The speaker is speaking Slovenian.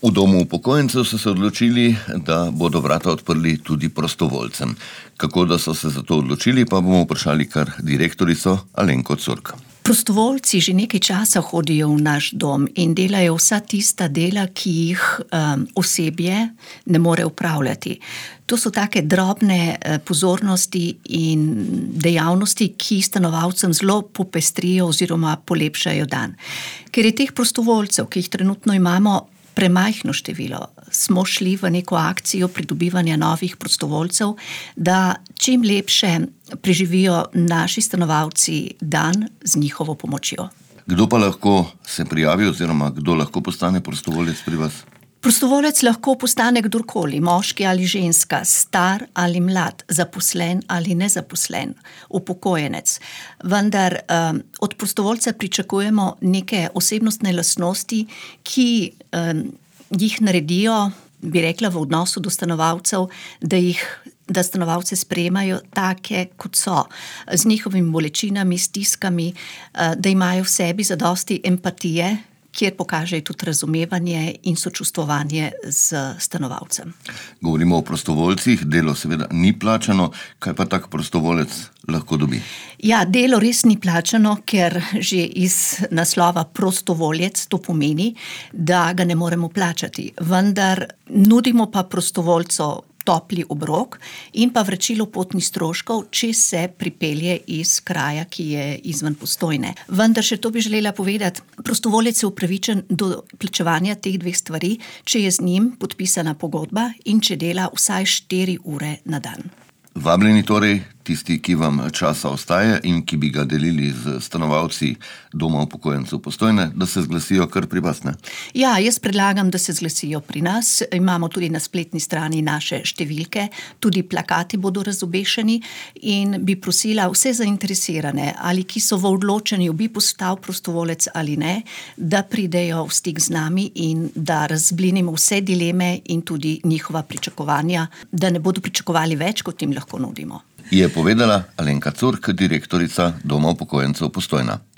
V domu upokojencev so se odločili, da bodo vrata odprli tudi prostovoljcem. Kako da so se za to odločili, pa bomo vprašali kar direktorico Alenko Curk. Prostovoljci že nekaj časa hodijo v naš dom in delajo vsa tista dela, ki jih osebje ne more upravljati. To so take drobne pozornosti in dejavnosti, ki stanovalcem zelo popestrijo oziroma polepšajo dan. Ker je teh prostovoljcev, ki jih trenutno imamo, premajhno število, smo šli v neko akcijo pridobivanja novih prostovoljcev, da čim lepše preživijo naši stanovalci dan z njihovo pomočjo. Kdo pa lahko se prijavi oziroma kdo lahko postane prostovoljec pri vas? Prostovoljec lahko postane kdorkoli, moški ali ženska, star ali mlad, zaposlen ali nezaposlen, upokojenec. Vendar od prostovoljca pričakujemo neke osebnostne lastnosti, ki jih naredijo, bi rekla, v odnosu do stanovalcev, da stanovalce sprejemajo take, kot so, z njihovimi bolečinami, stiskami, da imajo v sebi zadosti empatije, kjer pokažejo tudi razumevanje in sočustvovanje z stanovalcem. Govorimo o prostovoljcih, delo seveda ni plačano, kaj pa tak prostovoljec lahko dobi? Ja, delo res ni plačano, ker že iz naslova prostovoljec to pomeni, da ga ne moremo plačati. Vendar nudimo pa prostovoljcu topli obrok in pa vračilo potnih stroškov, če se pripelje iz kraja, ki je izven Postojne. Vendar še to bi želela povedati, prostovoljec je upravičen do plačevanja teh dveh stvari, če je z njim podpisana pogodba in če dela vsaj 4 ure na dan. Vabljeni torej tisti, ki vam časa ostaje in ki bi ga delili z stanovalci doma upokojencev Postojne, da se zglasijo kar pri vas, ne? Ja, jaz predlagam, da se zglasijo pri nas. Imamo tudi na spletni strani naše številke, tudi plakati bodo razobešeni in bi prosila vse zainteresirane, ali ki so v odločanju, bi postal prostovolec ali ne, da pridejo v stik z nami in da razblinimo vse dileme in tudi njihova pričakovanja, da ne bodo pričakovali več, kot jim lahko nudimo. Je povedala Alenka Curk, direktorica doma upokojencev Postojna.